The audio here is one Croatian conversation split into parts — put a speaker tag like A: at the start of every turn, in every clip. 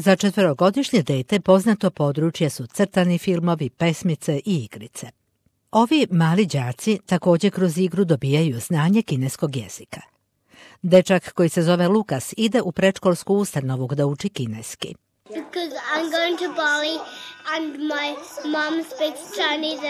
A: Za 4-godišnje dete poznato područje su crtani filmovi, pesmice i igrice. Ovi mali đaci također kroz igru dobijaju znanje kineskog jezika. Dečak koji se zove Lukas ide u predškolsku ustanovu da uči kineski.
B: Because I'm going to Bali and my mom speaks Chinese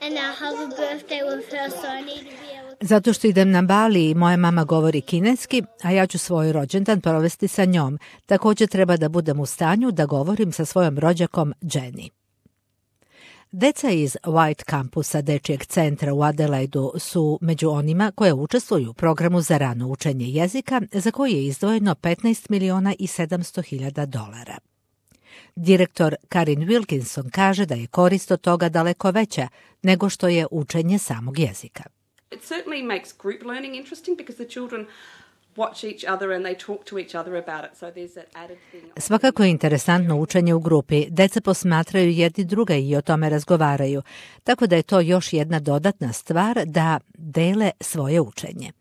B: and I have a birthday with her, so I need to be able to...
A: Zato što idem na Bali i moja mama govori kineski, a ja ću svoj rođendan provesti sa njom. Također treba da budem u stanju da govorim sa svojom rođakom Jenny. Deca iz White Campusa dečijeg centra u Adelaidu su među onima koje učestvuju u programu za rano učenje jezika za koji je izdvojeno $15.700.000. Direktor Karin Wilkinson kaže da je korist od toga daleko veća nego što je učenje samog jezika.
C: It certainly makes group learning interesting because the children watch each other and they talk to each other about it. So there's that added thing.
A: Svakako je interesantno učenje u grupi. Deca posmatraju jedni druga i o tome razgovaraju, tako da je to još jedna dodatna stvar da dele svoje učenje.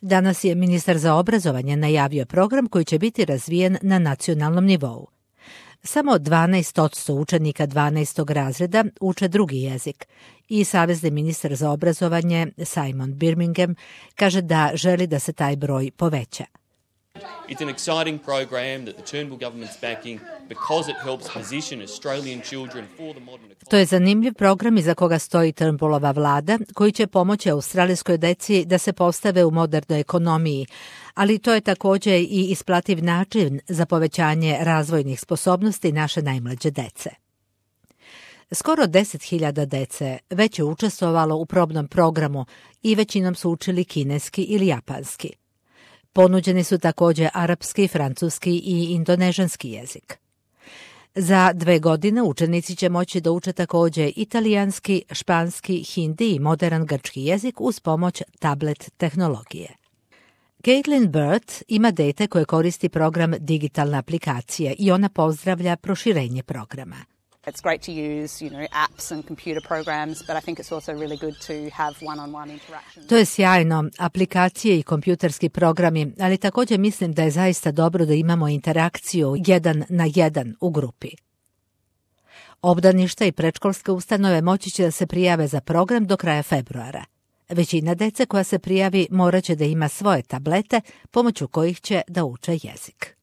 A: Danas je ministar za obrazovanje najavio program koji će biti razvijen na nacionalnom nivou. Samo 12% učenika 12. razreda uče drugi jezik i savezni ministar za obrazovanje Simon Birmingham kaže da želi da se taj broj poveća.
D: It's an exciting program that the Turnbull government's backing because it helps position Australian children for the modern economy.
A: To je zanimljiv program iza koga stoji Turnbullova vlada koji će pomoći australijskoj deci da se postave u modernoj ekonomiji, ali to je također i isplativ način za povećanje razvojnih sposobnosti naše najmlađe dece. Skoro 10.000 dece već je učestvovalo u probnom programu i većinom su učili kineski ili japanski. Ponuđeni su također arapski, francuski i indonežanski jezik. Za 2 godine učenici će moći da uče također italijanski, španski, hindi i modern grčki jezik uz pomoć tablet tehnologije. Caitlin Bird ima dete koje koristi program digitalne aplikacije i ona pozdravlja proširenje programa.
E: It's great to use, apps and computer programs, but I think it's also really good to have one-on-one interaction.
A: To je sjajno, aplikacije i kompjuterski programi, ali također mislim da je zaista dobro da imamo interakciju 1 na 1 u grupi. Obdaništa i predškolske ustanove moći će da se prijave za program do kraja februara. Većina dece koja se prijavi morat će da ima svoje tablete pomoću kojih će da uče jezik.